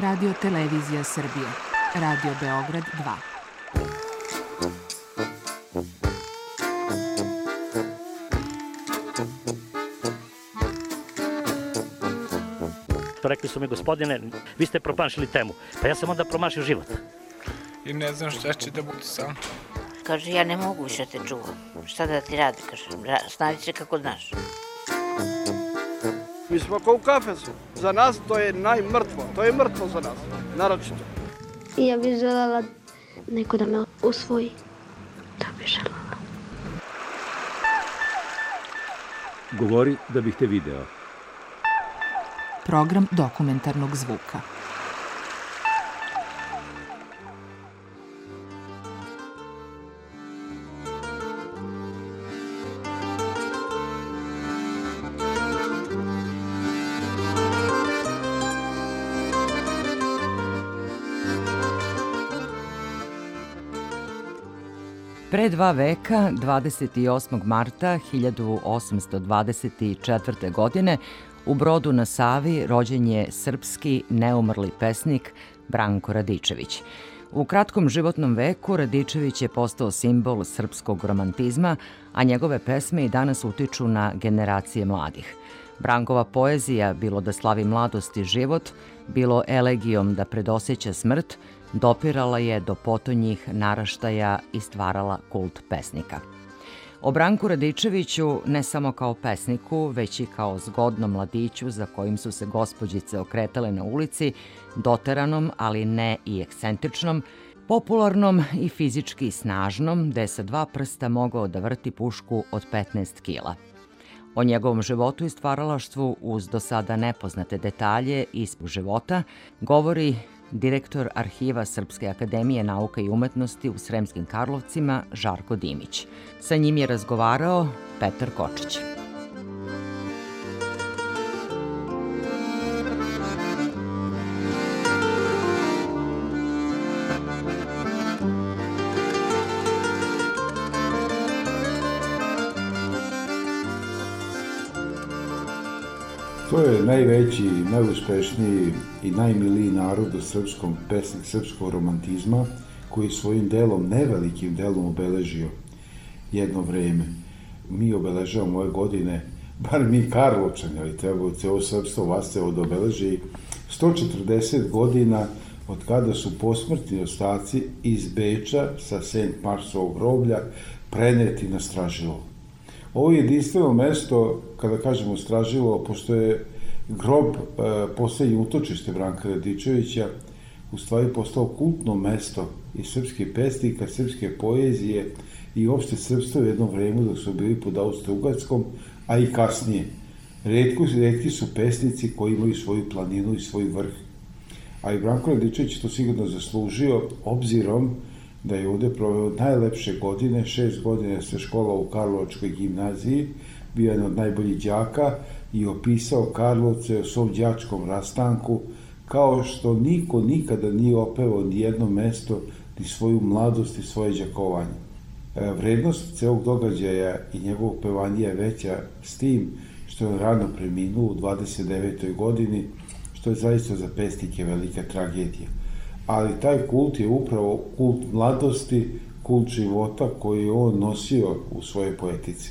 Radio Televizija Srbije, Radio Beograd 2. Rekli su mi, gospodine, vi ste promašili temu. Pa ja sam onda promašio život. I ne znam šta će da bude sam. Kaže, ja ne mogu više te čuvam. Šta da ti radi, kaže, snađi se kako znaš. Mi smo kao u kafesu. Za nas to je najmrtvo. To je mrtvo za nas, naročito. I ja bih želela neko da me usvoji. To bih želela. Govori da bih te video. Program dokumentarnog zvuka. Pre 2 veka, 28. marta 1824. godine, u Brodu na Savi rođen je srpski neumrli pesnik Branko Radičević. U kratkom životnom veku Radičević je postao simbol srpskog romantizma, a njegove pesme i danas utiču na generacije mladih. Brankova poezija, bilo da slavi mladost i život, bilo elegijom da predoseća smrt, dopirala je do potonjih naraštaja i stvarala kult pesnika. O Branku Radičeviću ne samo kao pesniku, već i kao zgodnom mladiću za kojim su se gospođice okretale na ulici, doteranom, ali ne i ekscentričnom, popularnom i fizički snažnom, gde sa 2 prsta mogao da vrti pušku od 15 kila. O njegovom životu i stvaralaštvu uz do sada nepoznate detalje iz života govori direktor Arhiva Srpske akademije nauka i umetnosti u Sremskim Karlovcima Žarko Dimić. Sa njim je razgovarao Petar Kočić. To je najveći, najuspešniji i najmiliji narod u srpskom pesnik srpskog romantizma koji je svojim delom, nevelikim delom obeležio jedno vreme. Mi obeležavamo ove godine, bar mi Karlovčani, ali treba ceo srpstvo vas se obeleži 140 godina od kada su posmrtni ostaci iz Beča sa St. Marsovog groblja preneti na Stražilovo. Ovo je jedinstveno mesto, kada kažemo Stražilovo, pošto je grob poslednje utočište Branka Radičevića, u stvari postao kultno mesto i srpskih pesnika, srpske poezije i uopšte srpstva u jednom vremenu dok su bili pod Austro-Ugarskom, a i kasnije. Retki su pesnici koji imaju svoju planinu i svoj vrh. A i Branko Radičević to sigurno zaslužio, obzirom da je ovde proveo najlepše godine, 6 godina se škola u Karlovačkoj gimnaziji, bio je od najboljih đaka i opisao Karlovce o svom đačkom rastanku, kao što niko nikada nije opevao ni jedno mesto, ni svoju mladost i svoje đakovanje. Vrednost celog događaja i njegovog pevanja je veća s tim što je rano preminuo u 29. godini, što je zaista za pesnike velika tragedija. Ali taj kult je upravo kult mladosti, kult života koji je on nosio u svojoj poetici.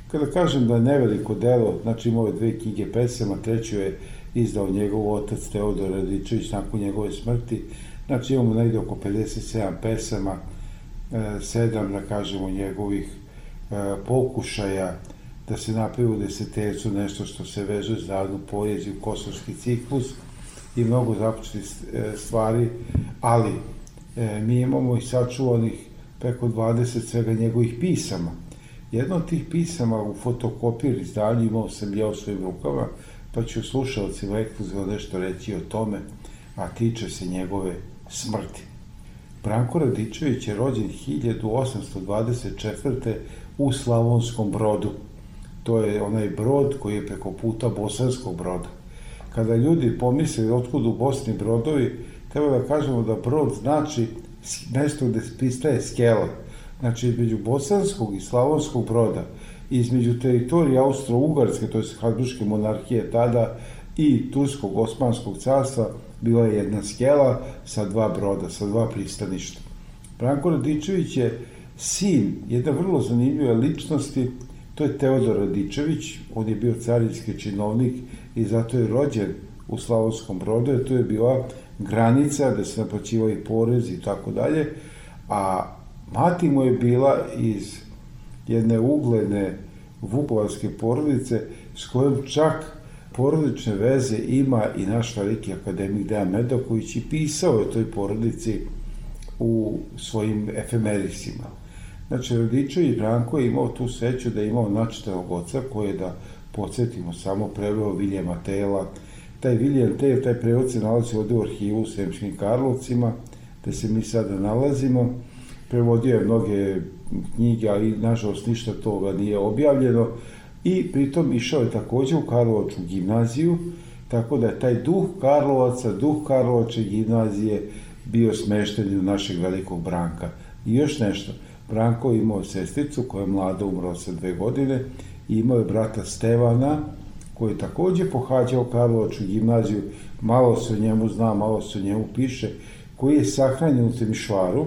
Kada kažem da je neveliko delo, znači ima ove 2 knjige pesama, 3. je izdao njegov otac Teodor Radičević nakon njegove smrti, znači imamo negde oko 57 pesama, 7, da kažemo, njegovih pokušaja da se napravi u desetercu nešto što se veže za narodnu poeziju, kosovski ciklus i mnogo započetih stvari, ali mi imamo i sačuvanih preko 20 svega njegovih pisama. Jedno od tih pisama u fotokopir izdanju imao sam ja u svojim rukama, pa ću slušalcima ekskluzivno nešto reći o tome, a tiče se njegove smrti. Branko Radičević je rođen 1824. u Slavonskom Brodu. To je onaj brod koji je preko puta Bosanskog Broda. Kada ljudi pomisle otkud u Bosni brodovi, treba da kažemo da brod znači mesto gde pristaje skela. Znači, između Bosanskog i Slavonskog Broda, između teritorije Austro-Ugarske, to je Habsburške monarhije tada, i Turskog Osmanskog carstva bila je jedna skela sa 2 broda, sa 2 pristaništa. Branko Radičević je sin jedne vrlo zanimljive ličnosti, to je Teodor Radičević, on je bio carinski činovnik i zato je rođen u Slavonskom Brodu, jer to je bila granica gde se naplaćivali porezi i tako dalje, a mati mu je bila iz jedne ugledne vukovarske porodice s kojom čak porodične veze ima i naš veliki akademik Dejan Medaković i pisao je toj porodici u svojim efemerisima. Znači, Radičević Branko je imao tu sreću da je imao načitanog oca koji je, da podsjetimo, samo preveo Viljema Tela. Taj Viljem Tel, taj prevod se nalazi ovde u arhivu u Sremskim Karlovcima, gde se mi sada nalazimo. Prevodio je mnoge knjige, ali nažalost ništa toga nije objavljeno. I pritom išao je takođe u Karlovačku gimnaziju, tako da je taj duh Karlovaca, duh Karlovačke gimnazije bio smešten u našeg velikog Branka. I još nešto, Branko je imao sestricu koja je mlada, umrla sa 2 godine, i imao je brata Stevana, koji je takođe pohađao Karlovačku gimnaziju, malo se o njemu zna, malo se o njemu piše, koji je sahranjen u Temišvaru.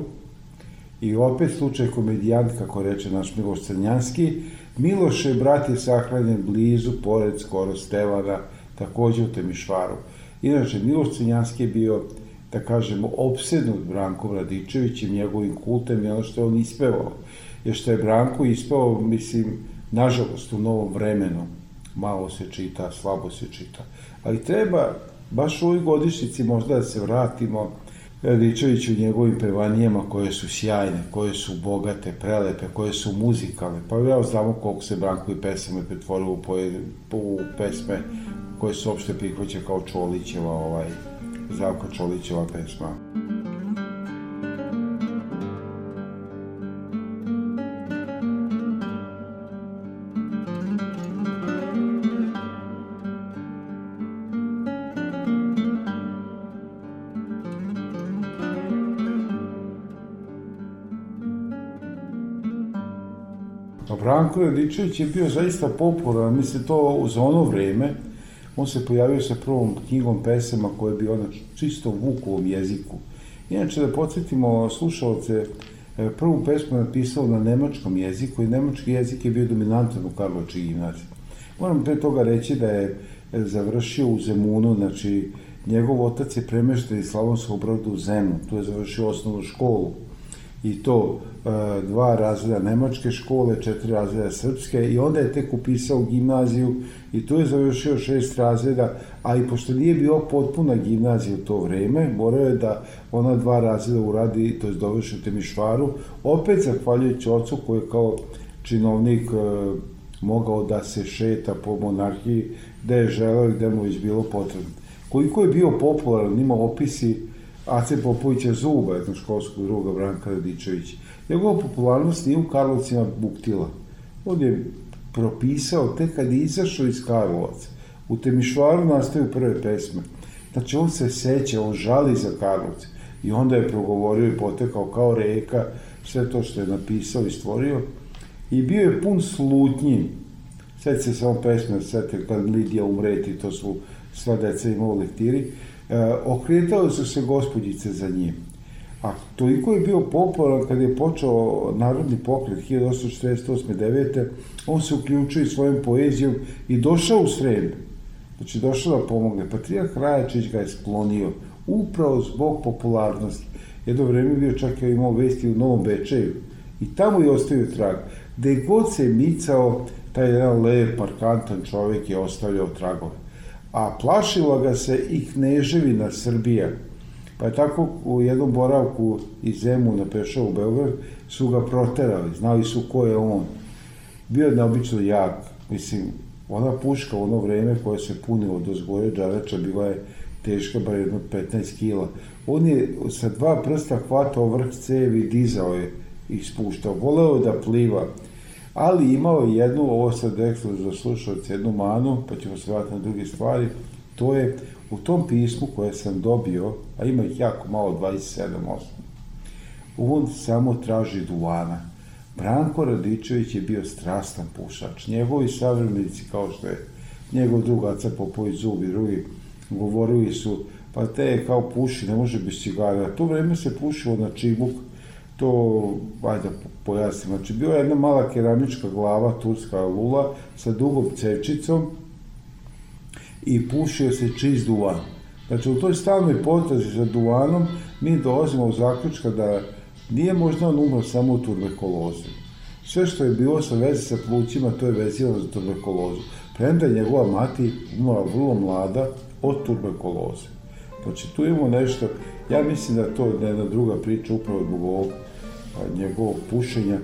I opet slučaj komedijant, kako reče naš Miloš Crnjanski, Miloše brat je sahranjen blizu, pored skoro Stevana, takođe u Temišvaru. Inače, Miloš Crnjanski je bio, da kažemo, opsednut Brankom Radičevićem, njegovim kultem i ono što je on ispevao. Jer što je Branko ispevao, mislim, nažalost, u novom vremenu, malo se čita, slabo se čita. Ali treba, baš u ovoj godišnjici možda da se vratimo Radičeviću u njegovim pevanijama koje su sjajne, koje su bogate, prelepe, koje su muzikalne. Pa ja znamo koliko se Branko i pesme pretvorilo u pesme koje se uopšte prihvaća kao Čolićeva, Zdravka Čolićeva pesma. Branko Radičević je bio zaista popularan, mislim to za ono vreme. On se pojavio sa prvom knjigom pesama koja je bio na čistom Vukovom jeziku. Inače, da podsjetimo slušalce, prvu pesmu je napisao na nemačkom jeziku i nemački jezik je bio dominantan u Karlovačkoj gimnaziji. Moram pre toga reći da je završio u Zemunu, znači njegov otac je premešten iz Slavonskog Broda u Zemun, tu je završio osnovnu školu. I to 2 razreda nemačke škole, 4 razreda srpske i onda je tek upisao gimnaziju i tu je završio 6 razreda, a i pošto nije bio potpuna gimnazija u to vreme, morao je da ona 2 razreda uradi, to je dovrši u Temišvaru, opet zahvaljujući ocu koji je kao činovnik mogao da se šeta po monarhiji, gde je želeo i gde mu već bilo potrebno. Koliko je bio popularan, ima opisi Ace Popovića Zuba, jednog školskog druga Branka Radičevića. Njegova popularnost nije u Karlovcima buktila. On je propisao tek kad je izašao iz Karlovaca. U Temišvaru nastaju prve pesme. Znači on se seća, on žali za Karlovce. I onda je progovorio i potekao kao reka sve to što je napisao i stvorio. I bio je pun slutnji. Sjeti se samo pesme, sjeti kad Lidija umreti, to su sva deca imao u lektiri. Okretale su se gospođice za njim. A toliko je bio popularan kad je počeo Narodni pokret 1848-9. On se uključio i svojom poezijom i došao u Srem. Znači došao da pomogne. Patrijarh Rajačić ga je sklonio upravo zbog popularnosti. Jedno vreme bio čak je imao vesti u Novom Bečeju i tamo je ostavio trag. Gde god se micao, taj jedan lep, markantan čovjek je ostavljao tragove. A plašila ga se i Kneževina Srbija. Pa je tako u jednom boravku iz Zemuna pešao u Beograd, su ga proterali, znali su ko je on. Bio je neobično jak, mislim, ona puška u ono vreme koja se punila do zgore džarača bila je teška bar jedno 15 kila. On je sa 2 prsta hvatao vrh cevi, dizao je i spuštao, voleo je da pliva. Ali imao je jednu, ovo sad rekao za slušalce, jednu manu, pa ćemo se vratiti na druge stvari, to je u tom pismu koje sam dobio, a ima ih jako malo, 27-8, on samo traži duvana. Branko Radičević je bio strastan pušač. Njegovi savremenici, kao što je njegov drug Aca Popović Zub i drugi govorili su, pa te kao puši, ne može bez cigara. To vreme se pušilo na čibuk, to, ajde pojasnim, znači bila je jedna mala keramička glava, turska lula, sa dugom cevčicom i pušio se čist duvan. Znači, u toj stalnoj potrazi za duvanom mi dolazimo u zaključka da nije možda on umro samo u tuberkulozi. Sve što je bilo sa veze sa plućima, to je vezivano za tuberkulozu. Premda je njegova mati umrla vrlo mlada od tuberkuloze. Znači, tu imamo nešto, ja mislim da to je jedna druga priča upravo zbog ovog njegovog pušenja.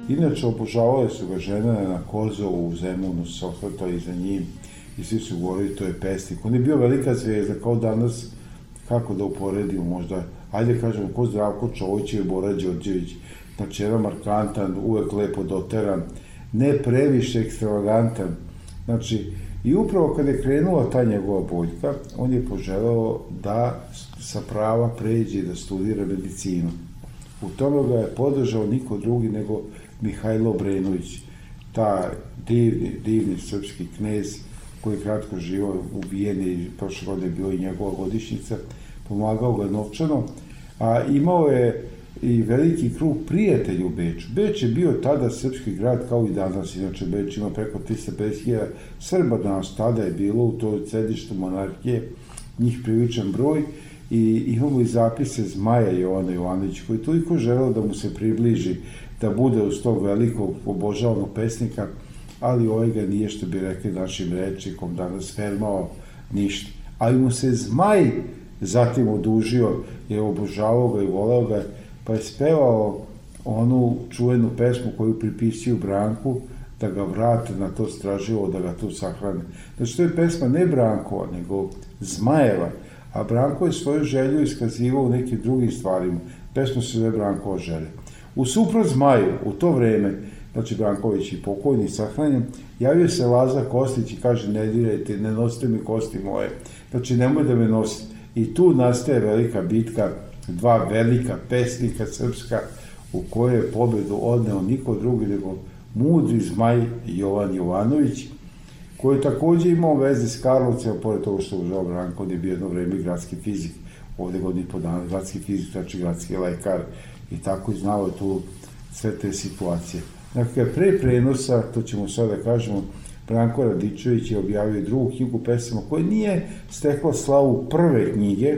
Inače, obožavale su ga žene na Kozovu, u Zemunu, se osvrtali za njim i svi su govorili to je pesnik. On je bio velika zvijezda, kao danas, kako da uporedimo možda, ajde kažemo, ko Zdravko Čović i Bora Đorđević, znači jedan markantan, uvek lepo doteran, ne previše ekstravagantan. Znači, i upravo kada je krenula ta njegova boljka, on je poželeo da sa prava pređe i da studira medicinu. U tome ga je podržao niko drugi nego Mihajlo Obrenović, ta divni srpski knez koji je kratko živao u Vijeni, prošle godine je bila i njegova godišnjica, pomagao ga novčano, a imao je i veliki krug prijatelja u Beču. Beč je bio tada srpski grad kao i danas, inače Beč ima preko 350.000 Srba danas, tada je bilo u toj sedištu monarhije, njih priličan broj, i imamo i zapise Zmaja Jovana Jovanovića, koji je toliko želeo da mu se približi, da bude uz tog velikog obožavanog pesnika, ali ovaj ga nije, što bi rekli našim rečnikom danas, fermao ništa. Ali mu se Zmaj zatim odužio, je obožavao ga i voleo ga, pa je spevao onu čuvenu pesmu koju pripisuju Branku, da ga vrate na to straživo, da ga tu sahrane. Znači, to je pesma ne Brankova, nego Zmajeva, a Branko je svoju želju iskazivao u nekim drugim stvarima. Pesma se zove Brankova želja. U suprot Zmaju, u to vreme, znači Branković i pokojni sahranjen, javio se Laza Kostić i kaže, ne dirajte, ne nosite mi kosti moje, znači nemoj da me nosite. I tu nastaje velika bitka, dva velika pesnika srpska, u kojoj je pobedu odneo niko drugi nego mudri Zmaj Jovan Jovanović, koji je takođe imao veze s Karlovcem, pored toga što užao Branko, on je bio jedno vreme gradski fizik, ovde godini po dana, gradski fizik, znači gradski lekar, i tako i znao je tu sve te situacije. Dakle, pre prenosa, to ćemo sada da kažemo, Branko Radičević je objavio drugu knjigu pesama koja nije stekla slavu prve knjige,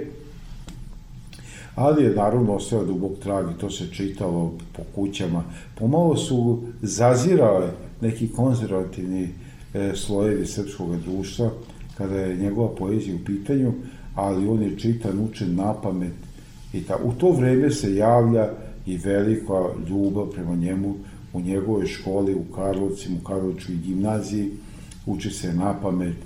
ali je naravno ostao dubok trag i to se čitalo po kućama. Pomalo su zazirale neki konzervativni slojevi srpskog društva kada je njegova poezija u pitanju, ali on je čitan, učen napamet. U to vreme se javlja i velika ljubav prema njemu u njegovoj školi u Karlovcima, u Karlovačkoj gimnaziji, uči se napamet,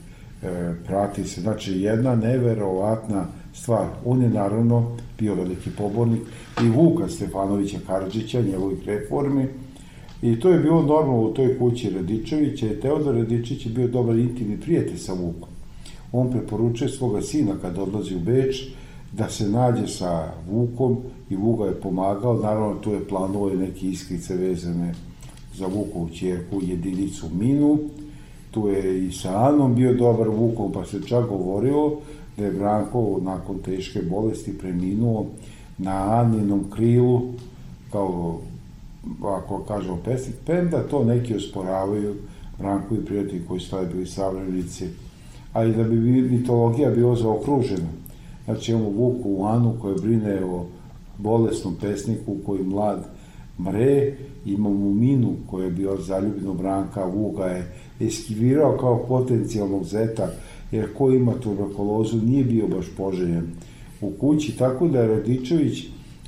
prati se, znači jedna neverovatna stvar. On je naravno bio veliki pobornik i Vuka Stefanovića Karadžića, njegovih reformi, i to je bilo normalno u toj kući Radičevića, i Teodor Radičević je bio dobar intimni prijatelj sa Vukom. On preporučuje svoga sina kad odlazi u Beč da se nađe sa Vukom i Vuk ga je pomagao, naravno tu je planovao i neke iskrice vezane za Vukovu ćerku jedinicu Minu, tu je i sa Anom bio dobar Vukom, pa se čak govorilo da je Branko nakon teške bolesti preminuo na Aninom krilu, kao, ako kažemo pesnik, premda to neki osporavaju, Branko i prijatelji koji su tada bili savremenici, ali da bi mitologija bila zaokružena. Znači imamo Vuku u Anu koja brine o bolesnom pesniku koji mlad mre, imamo Minu koja je bila zaljubljena Branka, Vuka je eskivirao kao potencijalnog zeta, jer ko ima tuberkulozu nije bio baš poželjen u kući, tako da je Radičević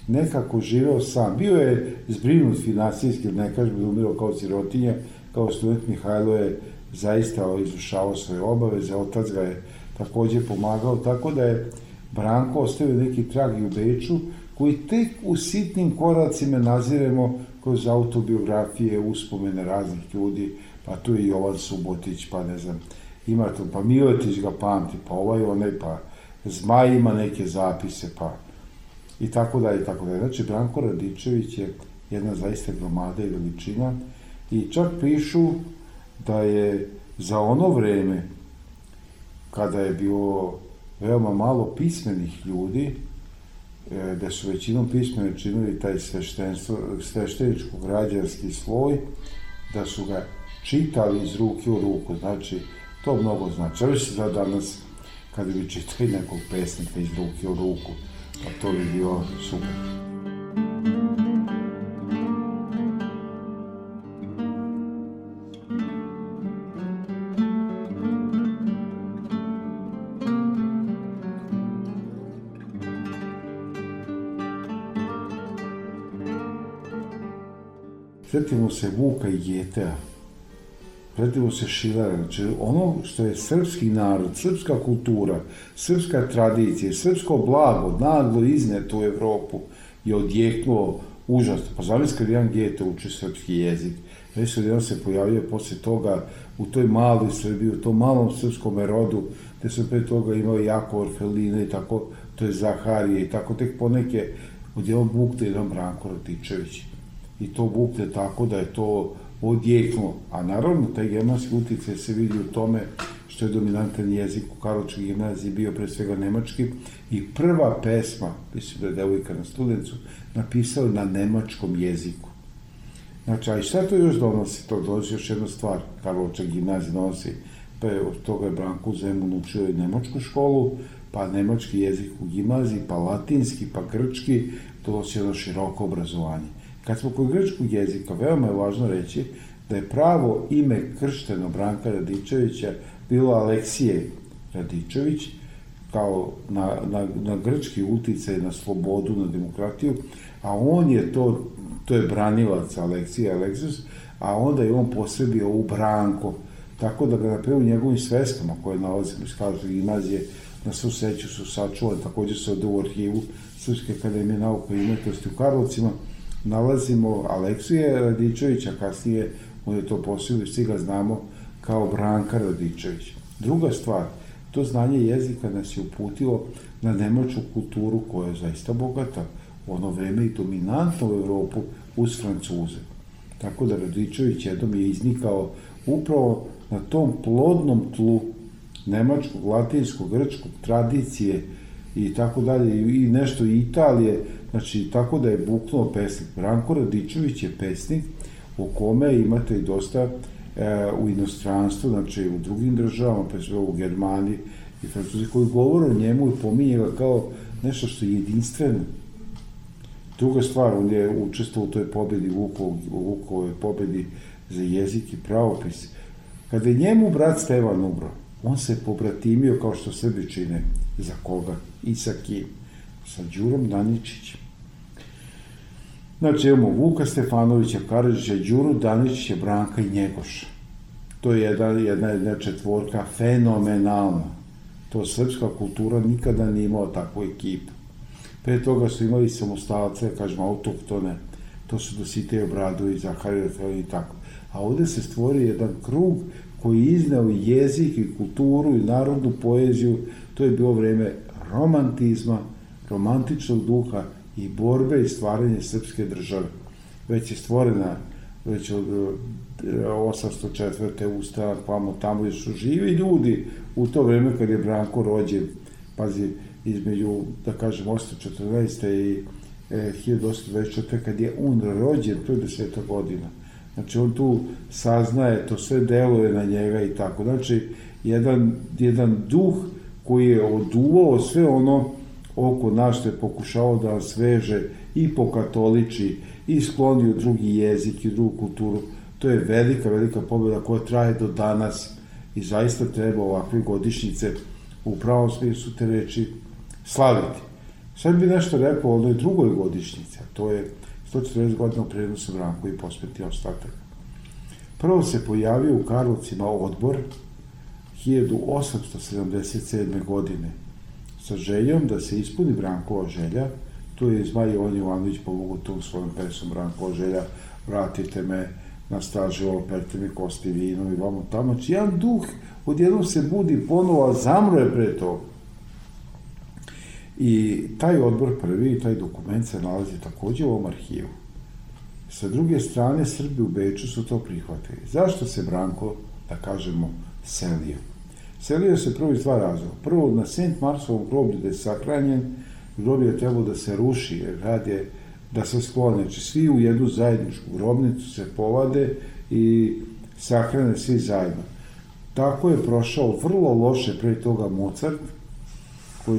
nekako živeo sam. Bio je zbrinut finansijski, ne kažem da umirao kao sirotinja, kao student Mihajlo je zaista izvršavao svoje obaveze, otac ga je takođe pomagao, tako da je Branko ostavio neki trag i u Beču, koji tek u sitnim koracima naziremo kroz autobiografije, uspomene raznih ljudi, pa tu je Jovan Subotić, pa ne znam, ima to, pa Miletić ga pamti, pa onaj, pa Zmaj ima neke zapise, pa i tako dalje, i tako dalje. Znači, Branko Radičević je jedna zaista gromada i veličina i čak pišu da je za ono vreme, kada je bilo veoma malo pismenih ljudi, da su većinom pismene činili taj svešteničko-građanski sloj, da su ga čitali iz ruke u ruku. Znači, to mnogo znači. Ali se za danas, kada bi čitali nekog pesnika iz ruke u ruku, pa to bi bilo super. Sjetimo se Vuka i Getea, sjetimo se Šilara, znači ono što je srpski narod, srpska kultura, srpska tradicija, srpsko blago, naglo izneto u Evropu je odjeknulo užasno. Pa zamislite kad jedan Gete uči srpski jezik, već se jedan se pojavio posle toga u toj maloj Srbiji, u tom malom srpskom rodu, gde su pre toga imali jako Orfelina i tako, to je Zaharije i tako tek poneke odjevom bukte jedan Branko Radičević. I to bukte tako da je to odjeknulo. A naravno, taj germanski uticaj se vidi u tome što je dominantan jezik u Karlovačkoj gimnaziji bio pre svega nemački i prva pesma, mislim da je devojka na Studencu, napisala na nemačkom jeziku. Znači, a i šta to još donosi? To donosi još jedna stvar. Karlovačka gimnazija donosi, pa je od toga je Branko Zemun učio i nemačku školu, pa nemački jezik u gimnaziji, pa latinski, pa grčki, to donosi jedno široko obrazovanje. Kad smo kod grčkog jezika, veoma je važno reći da je pravo ime kršteno Branka Radičevića bilo Aleksije Radičević, kao na grčki uticaj, na slobodu, na demokratiju, a on je to je branilac Aleksije Aleksius, a onda je on posebio u Branko, tako da ga napred u njegovim sveskama koje nalazimo iz Karlovačke gimnazije na svu sreću su sačuvane, također se ode u arhivu Srpske akademije nauka i umetnosti u Karlovcima, nalazimo Aleksija Radičevića, kasnije on je to posebio, svi ga znamo kao Branka Radičević. Druga stvar, to znanje jezika nas je uputilo na nemačku kulturu koja je zaista bogata, u ono vreme i dominantno u Evropu uz Francuze. Tako da Radičević jednom je iznikao upravo na tom plodnom tlu nemačkog, latinskog, grčkog, tradicije i tako dalje, i nešto Italije, znači tako da je buknuo pesnik. Branko Radičević je pesnik o kome imate i dosta u inostranstvu, znači u drugim državama, pa sve u Germaniji i Francuzi, koji govore o njemu i pominje ga kao nešto što je jedinstveno. Druga stvar, on je učestvovao u toj pobedi, Vukovoj pobedi za jezik i pravopis. Kada je njemu brat Stevan umro, on se pobratimio kao što Srbi čine. Za koga? I sa kim? Sa Đurom Daničićem. Znači, imamo Vuka Stefanovića, Karadžića, Đuru Daničića, Branka i Njegoša. To je jedna četvorka fenomenalna. To srpska kultura nikada nije imala takvu ekipu. Pre toga su imali samostalce, kažemo, autoktone. To su Dositej Obradović, Zaharije i tako. A ovde se stvori jedan krug koji je izneo jezik i kulturu i narodnu poeziju. To je bilo vreme romantizma, romantičnog duha i borbe i stvaranje srpske države. Već je stvorena, već od 804. ustanak, tamo jer su živi ljudi u to vreme kad je Branko rođen, pazi, između, da kažem, 814. i 1824. kad je on rođen, to je 10. godina. Znači, on tu saznaje, to sve deluje na njega i tako. Znači, jedan duh koji je oduvao sve ono oko nas što je pokušao da nas veže i pokatoliči i skloni u drugi jezik i drugu kulturu. To je velika, velika pobjeda koja traje do danas i zaista treba ovakve godišnjice u pravom smislu te reči slaviti. Sad bi nešto rekao o onoj drugoj godišnjici, a to je 140 godina u prenosu Branko i posmrtni ostatak. Prvo se pojavio u Karlovcima odbor 1877. godine sa željom da se ispuni Brankova želja. Tu je Zmaj Jovan Jovanović pomogao tom svojom pesmom Brankova želja, vratite me na staže, operte mi kosti vinom i vamo tamo. Znači, jedan duh odjednom se budi ponovo, a zamro je pre toga. I taj odbor prvi, taj dokument se nalazi takođe u ovom arhivu. Sa druge strane, Srbi u Beču su to prihvatili. Zašto se Branko, da kažemo, selio? Selio se prvo iz dva razloga. Prvo, na Sent Marsovom groblju da je sahranjen, groblje je trebalo da se ruši, jer rad je da se sklone. Znači, svi u jednu zajedničku grobnicu se povade i sahrane svi zajedno. Tako je prošao vrlo loše pre toga Mozart,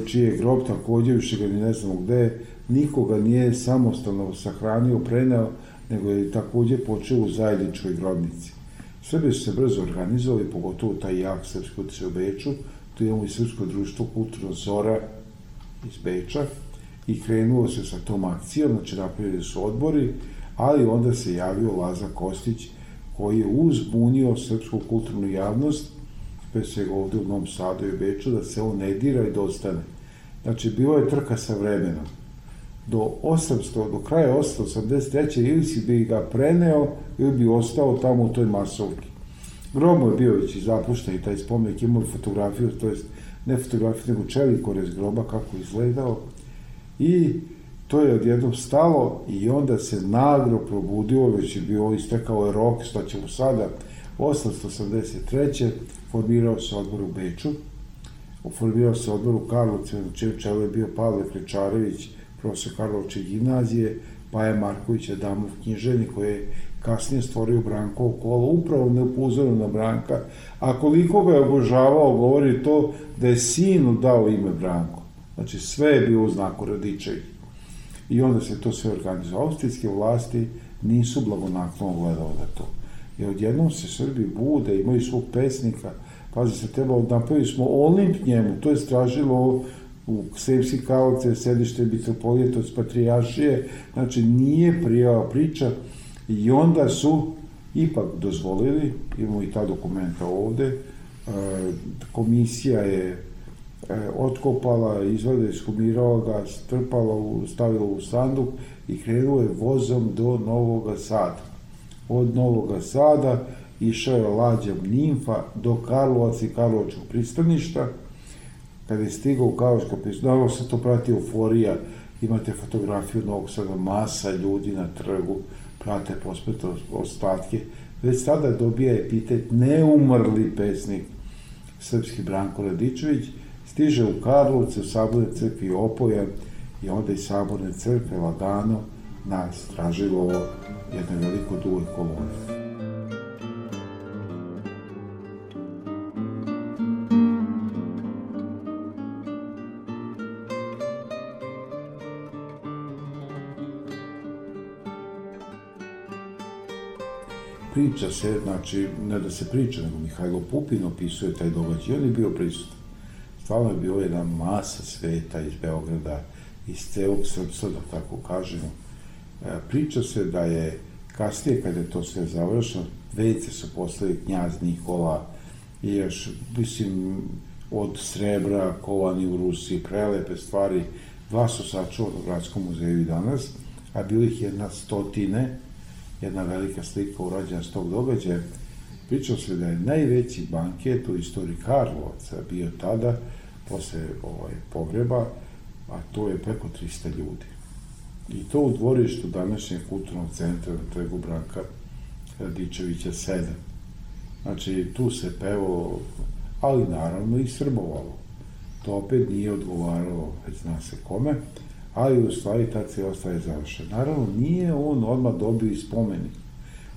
čiji je grob takođe, više ga ni ne znamo gde, nikoga nije samostalno sahranio, preneo, nego je takođe počeo u zajedničkoj grobnici. Srbi su se brzo organizovali, pogotovo taj jak srpski utjecaj u Beču, tu imamo i Srpsko društvo Kulturno Zora iz Beča i krenulo se sa tom akcijom, znači napravili su odbori, ali onda se javio Laza Kostić, koji je uzbunio srpsku kulturnu javnost, pre svega ovde u Novom Sadu i Beču, da se on ne dira i da ostane. Znači, bilo je trka sa vremenom. Do kraja 883. ili si bi ga preneo, ili bi ostao tamo u toj masovki. Grob je bio već i zapušten i taj spomenik imao fotografiju, to jest ne fotografiju, nego čelikorez groba, kako izgledao. I to je odjednom stalo i onda se naglo probudio, već je bio istekao je rok, što ćemo sada, 883. formirao se odbor u Beču, formirao se odbor u Karlovcima, na čijem čelu je bio Pavle Klečarević, profesor Karlovačke gimnazije, Paja Marković Adamov književnik, koji je kasnije stvorio Brankovo kolo, upravo ne upozorio na Branka, a koliko ga je obožavao, govori to da je sinu dao ime Branko. Znači, sve je bilo u znaku Radičević. I onda se to sve organizovalo. Austrijske vlasti nisu blagonaklono gledali na to. I odjednom se Srbi bude, imaju svog pesnika, pazi se, napravili smo Olimp njemu, to je stražilo u Sremski Karlovce, sedište mitropolije, to je patrijaršije, znači nije prijava priča i onda su ipak dozvolili, imamo i ta dokumenta ovde, komisija je otkopala, izvadila, ishumirala ga, strpala, stavila u sanduk i krenuo je vozom do Novog Sada. Od Novog Sada išao je lađom Nimfa do Karlovaca i Karlovačkog pristaništa. Kada je stigao u Karlovačko pristanište, naravno se to prati euforija, imate fotografiju Novog Sada, masa ljudi na trgu, prate pospete ostatke. Već tada dobija epitet neumrli pesnik srpski Branko Radičević, stiže u Karlovce, u Saborne crkvi opojan i onda iz Saborne crkve lagano na Stražilovo jedne veliko duge kolone. Priča se, znači, ne da se priča, nego Mihajlo Pupin opisuje taj događaj, on je bio prisutan. Stvarno je bio jedna masa sveta iz Beograda, iz celog srpstva, da tako kažemo. Priča se da je kasnije, kada je to sve završeno, vejce su poslali knjaz Nikola i još, mislim, od srebra, kovani u Rusiji, prelepe stvari. Dva su sačuvana u Gradskom muzeju i danas, a bilo ih 100, jedna velika slika urađena s tog događaja. Pričao se da je najveći banket u istoriji Karlovaca bio tada, posle pogreba, a to je preko 300 ljudi. I to u dvorištu današnjeg kulturnog centra na trgu Branka Radičevića 7. Znači, tu se pevalo, ali naravno i srbovalo. To opet nije odgovaralo, već zna se kome, ali u stvari ta cijela stvar je završena. Naravno, nije on odmah dobio i spomenik.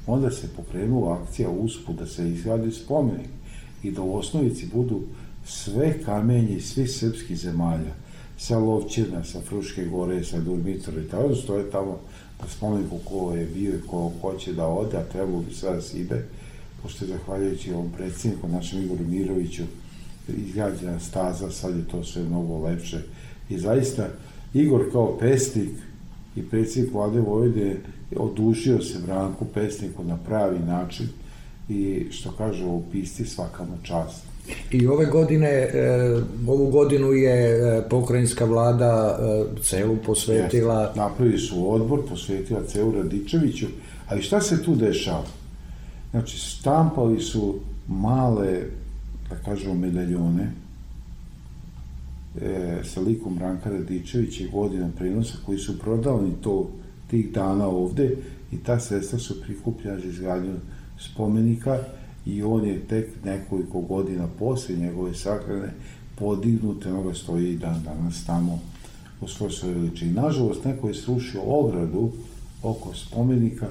Onda se pokrenula akcija usput da se izgradi spomenik i da u osnovici budu sve kamenje iz svih srpskih zemalja, sa Lovćina, sa Fruške gore, sa Durmitora i tako, stoje tamo na spomeniku ko je bio i ko hoće da ode, a trebalo bi sada da se ide, pošto je zahvaljujući ovom predsjedniku, našem Igoru Miroviću, izgrađena staza, sad je to sve mnogo lepše. I zaista, Igor kao pesnik i predsjednik Vlade Vojvodine odužio se Branku pesniku na pravi način, i što kažu u pisci svaka mu čast. I ovu godinu je pokrajinska vlada celu posvetila... Napravili su odbor, posvetila celu Radičeviću, ali šta se tu dešava? Znači, štampali su male, da kažemo, medaljone sa likom Branka Radičevića i godinom prenosa koji su prodavani tih dana ovde i ta sredstva su prikupljena za izgradnju spomenika i on je tek nekoliko godina posle njegove sahrane podignut, onoga stoji i dan danas tamo u svojoj veličini. Nažalost, neko je srušio ogradu oko spomenika,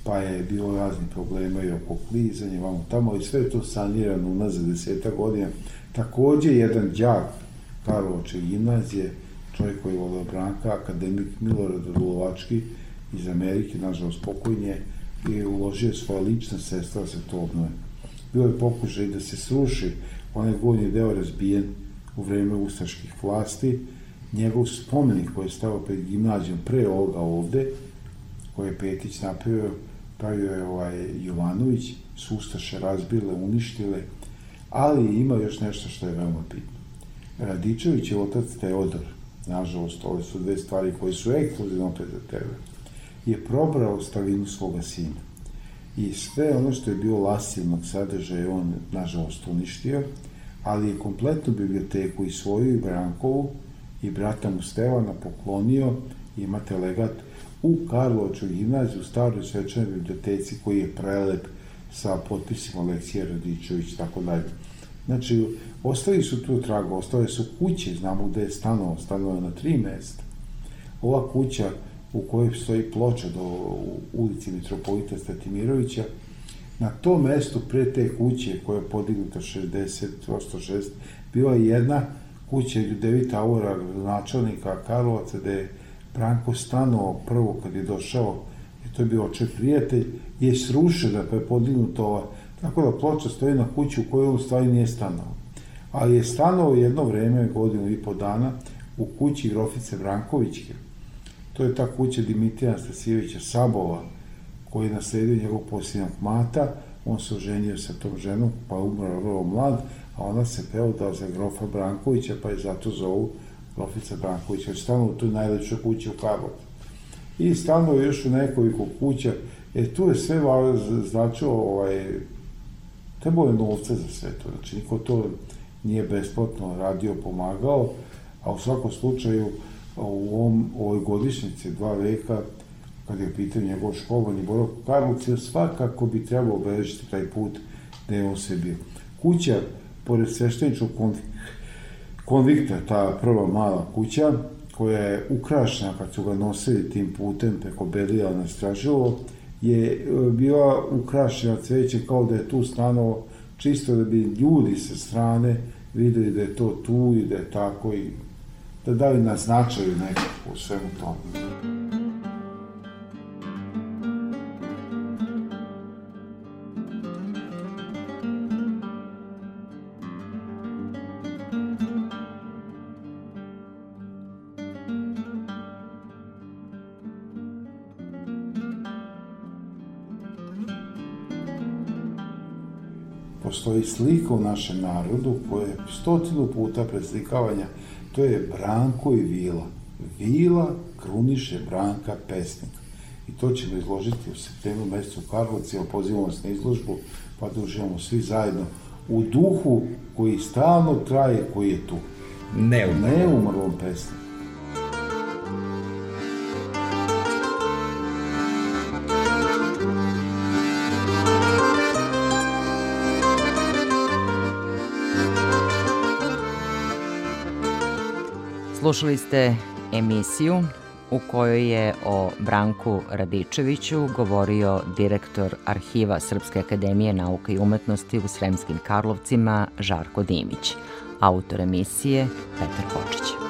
pa je bilo razni problema i oko klizanja, vamo tamo, i sve je to sanirano unazad 10 godina. Takođe, jedan đak Karlovačke gimnazije, čovjek koji je voleo Branka, akademik Milorad Dulovački iz Amerike, nažalost pokojnje, je uložio svoje lična sredstva da se to obnove. Bilo je pokušaj da se sruši, onaj gornji deo razbijen u vreme ustaških vlasti, njegov spomenik koji je stavio pred gimnazijom pre ovoga ovde, koji je Petić napravio je Jovanović, su ustaše razbile, uništile, ali ima još nešto što je veoma bitno. Radičević je otac Teodor, nažalost, ove su dve stvari koje su ekskluzivno opet za tebe, je probrao ostavinu svoga sina. I sve ono što je bilo lasivnog sadržaja on, nažalost, uništio, ali je kompletnu biblioteku i svoju i Brankovu i brata mu Stevana poklonio, imate legat u Karlovačkoj gimnaziji, u staroj svečanoj biblioteci koji je prelep sa potpisima Aleksija Radičević, tako dalje. Znači, ostali su tu traga, ostale su kuće, znamo gde je stanovao na 3 mesta. Ova kuća u kojoj stoji ploča u ulici Mitropolita Statimirovića, na tom mestu pre te kuće koja je podignuta 60-106, bila je jedna kuća Ljudevita Aura, načelnika Karlovaca, gde je Branko stanovao prvo kad je došao, i to je bio oče prijatelj, je srušena pa je podignuta ova, tako da ploča stoji na kuću u kojoj on stvari nije stanovao. Ali je stanovao jedno vreme, 1,5 godina, u kući grofice Brankovićke. To je ta kuća Dimitrija Anastasijevića Sabova, koji je nasledio njegov posljednjak mata, on se oženio sa tom ženom, pa je umro vrlo mlad, a ona se preodala za grofa Brankovića, pa je zato zovu grofica Brankovića, jer stanovao u toj najlepšoj kući u Karlovcu. I stanovao još u nekoliko kuća, tu je sve značilo, trebalo je novca za sve to, znači niko to nije besplatno radio, pomagao, a u svakom slučaju u ovoj godišnjici 2 veka, kad je pitao njegov školovanje boravak u Karlovcu, svakako bi trebalo obeležiti taj put gde je on sve bio. Kuća, pored svešteničkog konvikta, ta prva mala kuća, koja je ukrašena kad su ga nosili tim putem preko Belija na Stražilovo, je bila ukrašena cveće kao da je tu stanovao, čisto da bi ljudi sa strane videli da je to tu i da je tako i da dali na značaju nekako u svemu tomu. Postoji slika u našem narodu koja je 100 puta preslikavanja, to je Branko i Vila. Vila kruniše Branka pesnika. I to ćemo izložiti u septembru mesecu u Karlovci, pozivamo vas na izložbu, pa da uživamo svi zajedno u duhu koji stalno traje, koji je tu. Neumrlom pesniku. Slušali ste emisiju u kojoj je o Branku Radičeviću govorio direktor Arhiva Srpske akademije nauka i umetnosti u Sremskim Karlovcima Žarko Dimić. Autor emisije Petar Kočić.